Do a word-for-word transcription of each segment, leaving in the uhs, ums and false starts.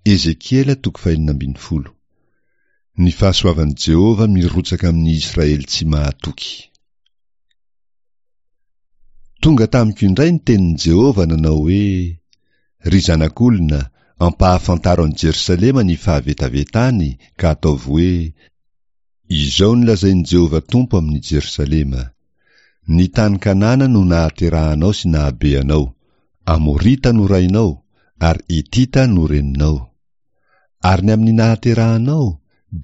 Ezekiela toko fahenina ambin'ny folo. Ny fahasoavan'i Jehovah mirotsaka amin'ny Israely tsy mahatoky. Tonga tamiko indray ny tenin'i Jehovah nanao hoe, Ry zanak'olona, ampahafantaro an'i Jerosalema ny fahavetavetany ka ataovy hoe, Izao no lazain'i Jehovah Tompo amin'i Jerosalema, Ny tany Kanana no nahaterahanao sy nahabe anao, Amorita no rainao, ary Hitita no reninao. Ary ny amin'ny nahaterahanao,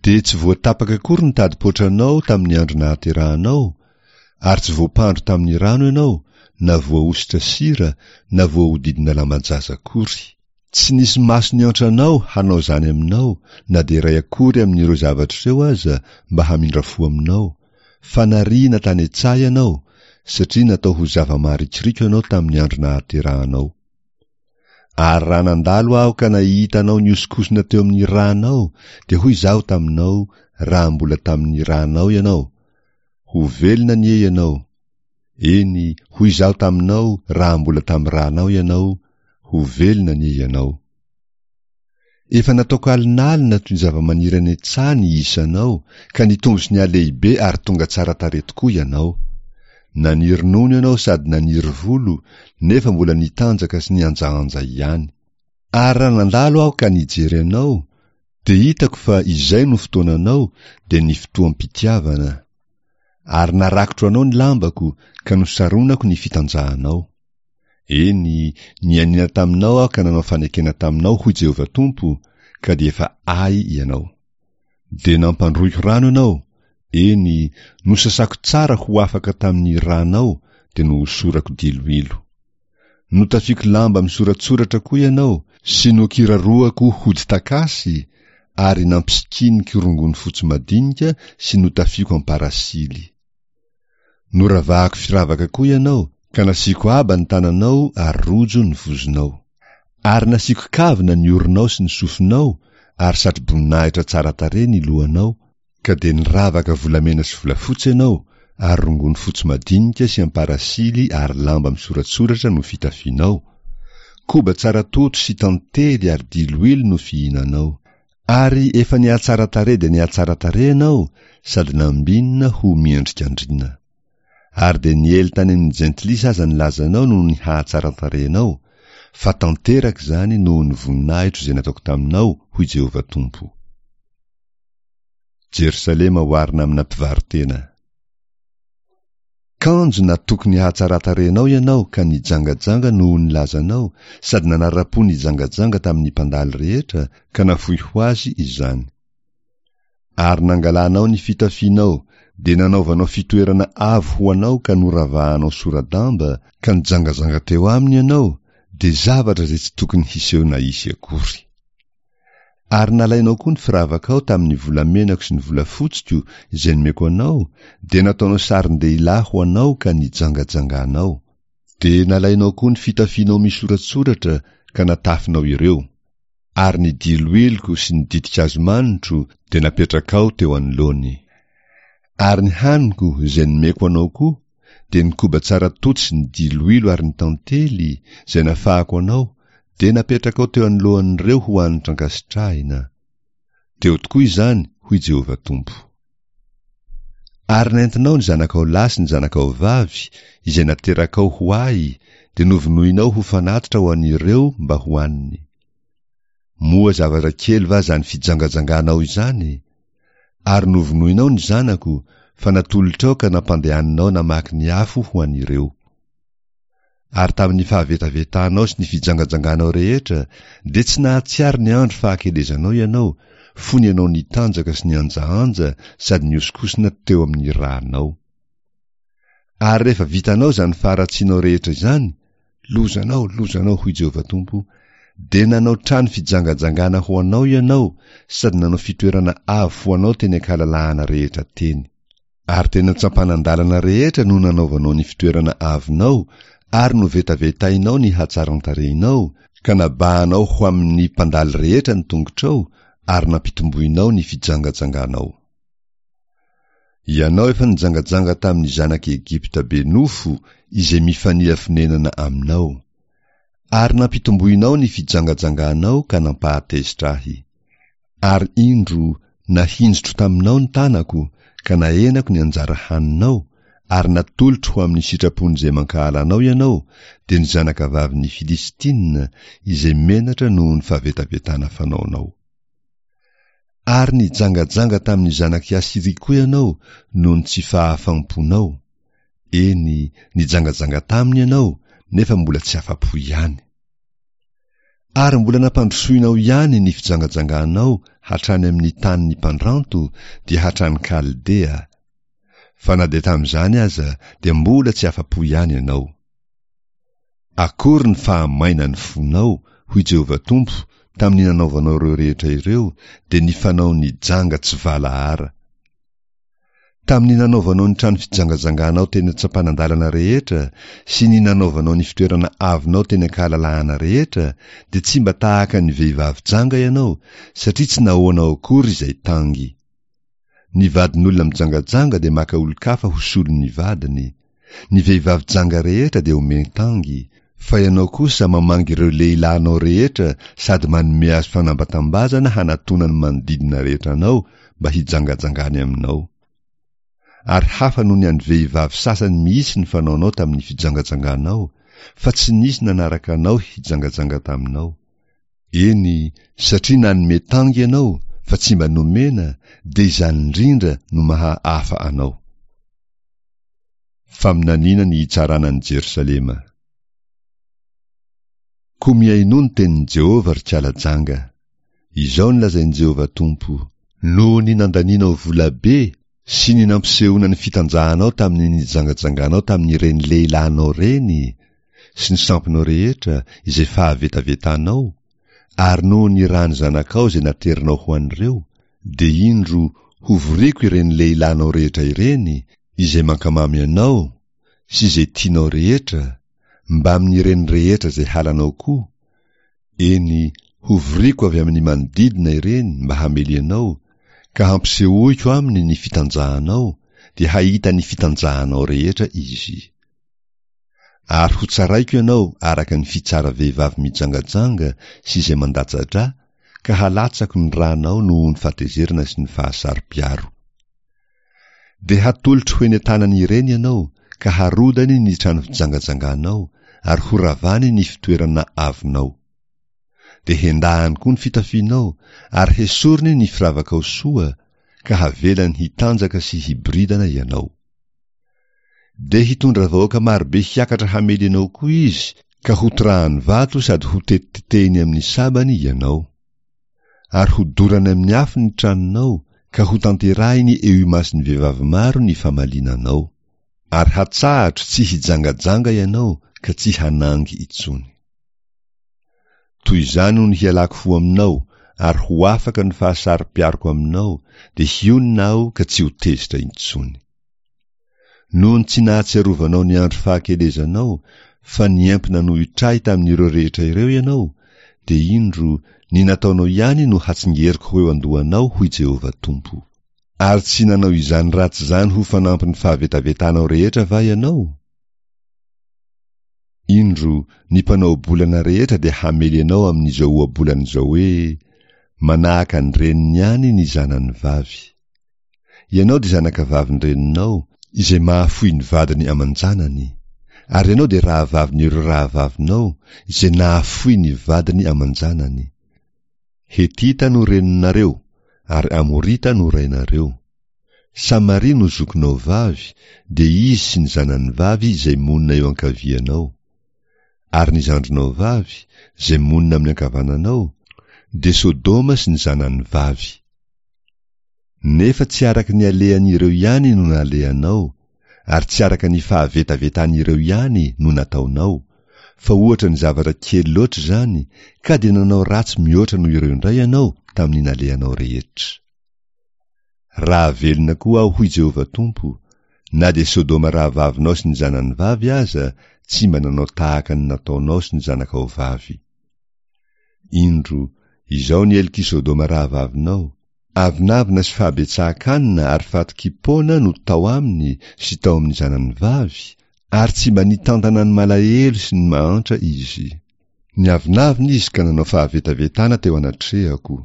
dia tsy voatapaka akory ny tadi-poatranao tamin'ny andro nahaterahanao, ary tsy voampandro tamin'ny rano ianao, na voahosotra sira, na voahodidina lamban-jaza akory. Tsy nisy maso niantra anao hanao izany aminao, na dia iray akory amin'ireo zavatra ireo aza mba hamindra fo aminao, fa nariana tany an-tsaha ianao, satria natao ho zava-maharikoriko ianao tamin'ny andro nahaterahanao. Ary raha nandalo aho ka nahita anao nihosonkosona teo amin'ny rànao, dia hoy izaho taminao raha mbola tamin'ny rànao ianao, Ho velona anie ianao! Eny, hoy izaho taminao raha mbola tamin'ny rànao ianao, Ho velona anie ianao! Efa nataoko alinalina toy ny zavamaniry any an-tsaha ny isanao, ka nitombo sy nihalehibe ary tonga tsara tarehy tokoa ianao. Naniry nono ianao sady naniry volo, nefa mbola nitanjaka sy nihanjahanja ihany. Ary raha nandalo aho ka nijery anao, dia hitako fa izay no fotoananao, dia ny fotoam-pitiavana. Ary narakotro anao ny lambako, ka nosaronako ny fitanjahanao. Eny, nianiana taminao aho ka nanao fanekena taminao, hoy Jehovah Tompo, ka dia efa Ahy ianao. Dia nampandroiko rano ianao, eny, nosasako tsara ho afaka tamin'ny ranao, dia nohosorako diloilo. Notafiako lamba misoratsoratra koa ianao, sy nokiraroako hodi-takasy, ary nampisikiniko rongony fotsy madinika sy notafiako am-parasily. Noravahako firavaka koa ianao, ka nasiako aba ny tananao ary rojo ny vozonao. Ary nasiako kavina ny oronao sy ny sofinao ary satroboninahitra tsara tarehy ny lohanao, ka dia niravaka volamena sy volafotsy ianao, ary rongony fotsy madinika sy amparasily ary lamba misoratsoratra no fitafianao. Koba tsara toto sy tantely ary diloilo no fihinanao. Ary efa nihatsara tarehy dia nihatsara tarehy ianao sady nambinina ho miendrik'andriana. Ary dia niely tany amin'ny jentilisa aza ny lazanao noho ny hahatsaran-tarehinao, fa tanteraka izany noho ny voninahitro izay nataoko taminao, hoy Jehovah Tompo. Jerosalema oharina amina mpivaro-tena. Kanjo natoky ny hahatsaran-tarehinao ianao ka nijangajanga noho ny lazanao sady nanara-po nijangajanga tamin'ny mpandalo rehetra ka nafoy ho azy izany. Ary nangalanao ny fitafianao dia nanaovanao fitoerana avo ho anao ka noravahanao sora-damba ka nijangajanga teo aminy ianao dia zavatra izay tsy tokony hiseho na hisy akory. Ary nalainao koa ny firavakao tamin'ny volamenako sy ny volafotsiko izay nomeko anao, dia nataonao sarin-dehilahy ho anao ka nijangajanganao. Dia nalainao koa ny fitafianao misoratsoratra ka natafinao ireo. Ary ny diloiloko sy ny ditin-kazo manitro dia napetrakao teo anoloany. Ary ny haniko izay nomeko anao koa, dia ny koba tsara toto sy ny diloilo ary ny tantely, izay nafahako anao, dia napetrakao teo anoloan'ireo ho hanitra ankasitrahina. Teo tokoa izany, hoy Jehovah Tompo. Ary nentinao ny zanakao lahy sy ny zanakao vavy, izay naterakao ho Ahy, dia novonoinao ho fanatitra ho an'ireo mba hohaniny. Moa zavatra kely va izany fijangajanganao izany? Ary novonoinao ny zanako, fa natolotrao ka nampandehaninao namaky ny afo ho an'ireo. Ary tamin'ny fahavetavetanao sy ny fijangajanganao rehetra, dia tsy nahatsiaro ny andro fahakelezanao ianao, fony ianao nitanjaka sy nihanjahanja sady nihosonkosona teo amin'ny rànao. Ary rehefa vitanao izany faharatsianao rehetra izany, lozanao, lozanao, hoy Jehovah Tompo, dia nanao trano fijangajangana ho anao ianao sady nanao fitoerana avo ho anao teny an-kalalahana rehetra teny. Ary teny an-tsampanan-dalana rehetra no nanaovanao ny fitoerana avonao ary novetavetainao ny hatsaran-tarehinao, ka nabahanao ho amin'ny mpandalo rehetra ny tongotrao ary nampitomboinao ny fijangajanganao. Ianao efa nijangajanga tamin'ny zanak'i Egypta be nofo izay mifanila fonenana aminao. Ary nampitomboinao ny fijangajanganao ka nampahatezitra Ahy. Ary indro, nahinjitro taminao ny tanako, ka nahenako ny anjara haninao, ary natolotro ho amin'ny sitrapon'izay mankahala anao ianao, dia ny zanakavavin'ny Filistina, izay menatra noho ny fahavetavetana fanaonao. Ary nijangajanga tamin'ny zanak'i Asyria koa ianao noho ny tsy fahafaham-ponao, eny, nijangajanga taminy ianao, nefa mbola tsy afa-po ihany. Ary mbola nampandrosoinao ihany ny fijangajanganao hatrany amin'ny tanin'ny mpandranto, dia hatrany Kaldea. Fa na dia tamin'izany aza dia mbola tsy afa-po ihany ianao. Akory ny fahamainan'ny fonao, hoy Jehovah Tompo, tamin'ny nanaovanao ireo rehetra ireo, dia ny fanaon'ny janga tsy valahara. Tamin'ny nanaovanao ny trano fijangajanganao teny an-tsampanan-dalana rehetra sy ny nanaovanao ny fitoerana avonao teny an-kahalalahana rehetra, dia tsy mba tahaka ny vehivavy janga ianao, satria tsy nahoanao akory izay tangy. Ny vadin'olona mijangajanga dia maka olon-kafa ho solon'ny vadiny. Ny vehivavy janga rehetra dia omen-tangy, fa ianao kosa mamangy ireo lehilahinao rehetra sady manome azy fanambatambazana hanatona ny manodidina rehetra anao mba hijangajangany aminao. Ary hafa noho ny an'ny vehivavy sasany mihitsy ny fanaonao tamin'ny fijangajanganao, fa tsy nisy nanaraka anao hijangajanga taminao. Eny, satria nanome tangy ianao fa tsy mba nomena, dia izany indrindra no maha hafa anao. Faminaniana ny hitsarana an'i Jerosalema. Koa mihainoa ny tenin'i Jehovah, ry kala janga. Izao no lazain'i Jehovah Tompo, Noho ny nandanianao vola be sy ny nampisehoana ny fitanjahanao tamin'ny nijangajanganao tamin'ireny lehilahinao ireny sy ny sampinao rehetra izay fahavetavetanao, ary noho ny ràn'ny zanakao izay naterinao ho an'ireo, dia indro, hovoriko ireny lehilahinao rehetra ireny, izay mankamamy anao sy izay tianao rehetra, mbamin'ireny rehetra izay halanao koa, eny, hovoriko avy amin'ny manodidina ireny mba hamely anao, ka hampisehoiko aminy ny fitanjahanao, dia hahita ny fitanjahanao rehetra izy. Ary hotsaraiko ianao araka ny fitsara vehivavy mijangajanga sy izay mandatsa-drà, ka halatsako ny rànao noho ny fahatezerana sy ny fahasaro-piaro. Dia hatolotro ho eny an-tanan'ireny ianao, ka harodany ny trano fijangajanganao, ary horavany ny fitoerana avonao. Dia hendahany koa ny fitafianao, ary hesoriny ny firavakao soa, ka havelany hitanjaka sy hiboridana ianao. Dia hitondra vahoaka marobe hiakatra hamely anao koa izy, ka hotorahany vato sady hotetitetehiny amin'ny sabany ianao. Ary hodorany amin'ny afo ny tranonao, ka hotanterahiny eo imason'ny vehivavy maro ny famaliana anao. Ary hatsahatro tsy hijangajanga ianao ka tsy hanangy intsony. Toy izany no hialako ho aminao, ary ho afaka ny fahasaro-piaroko aminao, dia hionona aho ka tsy ho tezitra intsony. Noho ny tsy nahatsiarovanao ny andro fahakelezanao, fa niempo nanohitra ahy tamin'ireo rehetra ireo ianao, dia indro, ny nataonao ihany no hatsingeriko ho eo an-dohanao, hoy Jehovah Tompo. Ary tsy nanao izany ratsy izany ho fanampin'ny fahavetavetanao rehetra va ianao? Indro, ny mpanao ohabolana rehetra dia hamely anao amin'izao ohabolana izao hoe, Manahaka ny reniny ihany ny zanany vavy. Ianao dia zanakavavin-dreninao, izay mahafoy ny vadiny aman-janany, ary ianao dia rahavavin'ireo rahavavinao, izay nahafoy ny vadiny aman-janany. Hetita no reninareo, ary Amorita no rainareo. Samaria no zokinao vavy, dia izy sy ny zanany vavy izay monina eo ankavianao. Ary ny zandrinao vavy, izay monina amin'ny ankavananao, dia Sodoma sy ny zanany vavy. Nefa tsy araka ny alehan'ireo ihany no nalehanao, ary tsy araka ny fahavetavetan'ireo ihany no nataonao, fa ohatra ny zavatra kely loatra izany, ka dia nanao ratsy mihoatra noho ireo indray ianao tamin'ny nalehanao rehetra. Raha velona koa aho, hoy Jehovah Tompo, na dia Sodoma rahavavinao sy ny zanany vavy aza tsy mba nanao tahaka ny nataonao sy ny zanakao vavy. Indro, izao ny helok'i Sodoma rahavavinao, avonavona sy fahabetsahan-kanina ary fatokiam-poana no tao aminy sy tao amin'ny zanany vavy, ary tsy mba nitantana ny malahelo sy ny mahantra izy. Niavonavona izy ka nanao fahavetavetana teo anatrehako,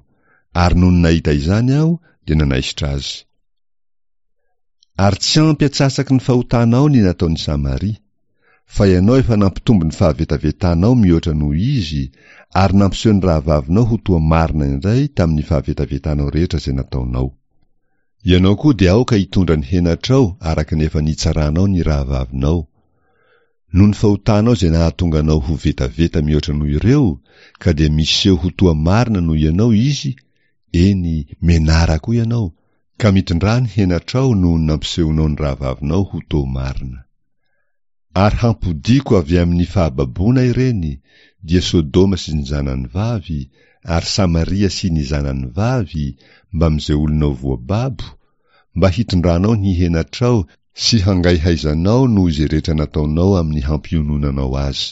ary nony nahita izany aho dia nanaisotra azy. Ary tsy ampy atsasaky ny fahotanao ny nataon'i Samaria, fa ianao efa nampitombo ny fahavetavetanao mihoatra noho izy, ary nampiseho ny rahavavinao ho toa marina indray tamin'ny fahavetavetanao rehetra izay nataonao. Ianao koa dia aoka hitondra ny henatrao araka ny efa nitsaranao ny rahavavinao. Noho ny fahotanao izay nahatonga anao ho vetaveta mihoatra noho ireo, ka dia miseho ho toa marina noho ianao izy, eny, menara koa ianao, ka mitondrà ny henatrao noho ny nampisehonao ny rahavavinao ho toa marina. Ary hampodiako avy amin'ny fahababoana ireny, dia Sodoma sy ny zanany vavy, ary Samaria sy ny zanany vavy, mbamin'izay olonao voababo, mba hitondranao ny henatrao sy hangaihaizanao noho izay rehetra nataonao amin'ny hampiononanao azy.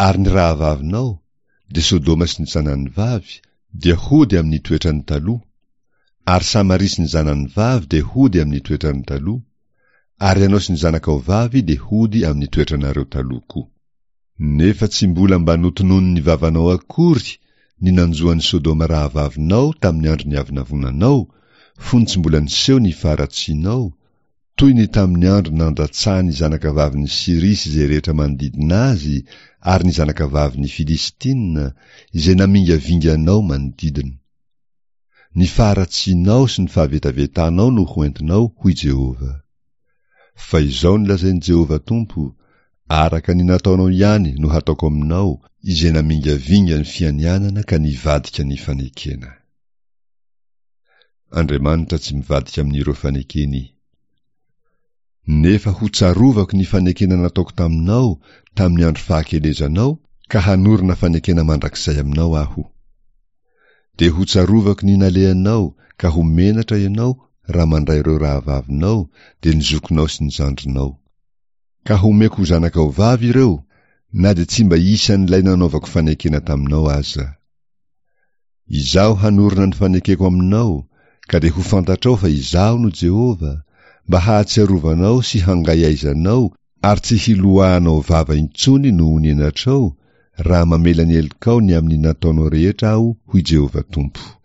Ary ny rahavavinao, dia Sodoma sy ny zanany vavy, dia hody amin'ny toetrany taloha, ary Samaria sy ny zanany vavy dia hody amin'ny toetrany taloha, ary ianao sy ny zanakao vavy dia hody amin'ny toetranareo taloha koa. Nefa tsy mbola mba notononin'ny vavanao akory ny nanjo an'i Sodoma rahavavinao tamin'ny andro niavonavonanao, fony tsy mbola niseho ny faharatsianao, toy ny tamin'ny andro nandatsahan'ny zanakavavin'i Syria sy izay rehetra manodidina azy ary ny zanakavavin'ny Filistina, izay namingavinga anao manodidina. Ny faharatsianao sy ny fahavetavetanao no hoentinao, hoy Jehovah. Fa izao no lazain'i Jehovah Tompo, araka ny nataonao ihany no hataoko aminao, izay namingavinga ny fianianana ka nivadika ny fanekena. Andriamanitra tsy mivadika amin'ireo fanekeny. Nefa hotsarovako ny fanekena nataoko taminao tamin'ny andro fahakelezanao, ka hanorina fanekena mandrakizay aminao aho. Dia hotsarovako ny nalehanao ka ho menatra ianao raha mandray ireo rahavavinao, dia ny zokinao sy ny zandrinao. Ka homeko ho zanakao vavy ireo, na dia tsy mba isan'ilay nanaovako fanekena taminao aza. Izaho hanorina ny fanekeko aminao, ka dia ho fantatrao fa Izaho no Jehovah, mba hahatsiarovanao sy hangaihaizanao ary tsy hiloahanao vava intsony noho ny henatrao, raha mamela ny helokao ny amin'ny nataonao rehetra aho, hoy Jehovah Tompo.